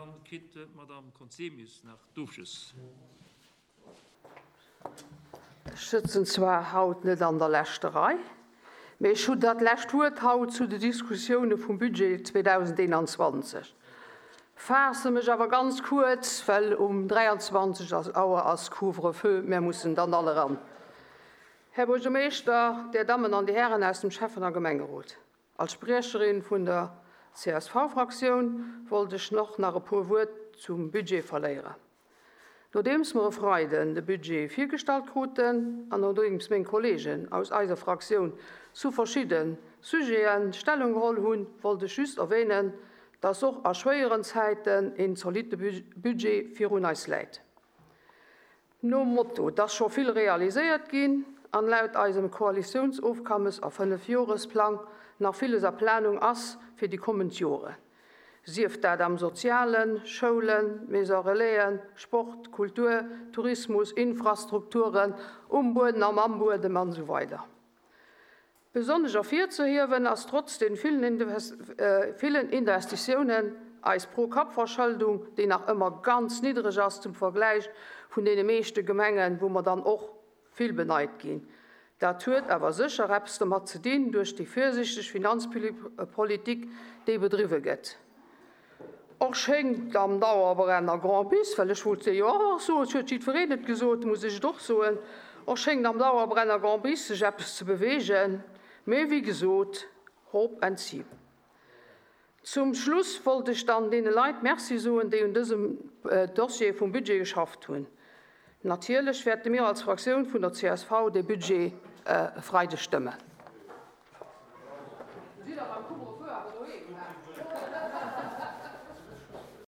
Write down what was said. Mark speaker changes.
Speaker 1: Dann kritt d'Madame Conzemius nach d'Ofschluss.
Speaker 2: Ech sëtzen zwar haut net an der leschter Rei, mee ech hunn dat lescht Wuert haut zu de Diskussioune vum Budget 2021. Faasse mech awer ganz kuerz, well um 23 Auer ass Couvre-feu, mär mussen dann all eran. Här Buergermeeschter, Dir Dammen an Dir Hären aus dem Schäffen a Gemengerot, als Spriecherin vun der CSV-Fraktioun wollt ech och nach e puer Wuert zum Budget verléieren. Nodeems mer e Freiden de Budget virgestallt kruten an nodeems meng Kolleegen aus eiser Fraktioun zu verschidde Sujete Stellung geholl hunn, wollt ech just erwähnen, dass och a schwéieren Zäiten een zolitte Budget virun eis läit. Nom Motto, 't ass scho vill realiséiert ginn an laut eisem Koalitiounsofkammes a Fënnefjoresplang nach villes a Planung ass fir déi kommend Joren, sief dat am Sozialen, Schoulen, Maison Relaisen, Sport, Kultur, Tourismus, Infrastrukturen um Bueden an am Buedem an esou weider. Besonnesch ervirzehiewen ass trotz den villen Investitiounen eis Pro-Kapp-Verschëldung, déi nach ëmmer ganz niddreg ass zum Vergläich vun deene meeschte Gemengen, wou mer dann och vill beneit ginn. Dat huet awer sécher eppes domat ze dinn duerch déi virsichteg Finanzpolitik, déi bedriwwe gëtt. Och schéngt am Dauerbrenner Grand Bis, well ech wollt se jo och soen, et huet jiddwereen et gesot, muss ech et och soen, och schéngt am Dauerbrenner Grand Bis sech eppes ze beweegen, mee wéi gesot, hope and see. Zum Schluss wollt ech dann deene Leit Merci soen, déi un dësem Dossier vum Budget geschafft hunn. Natierlech wäerte mir als Fraktioun vun der csv dee Budget e Freideg stëmmen.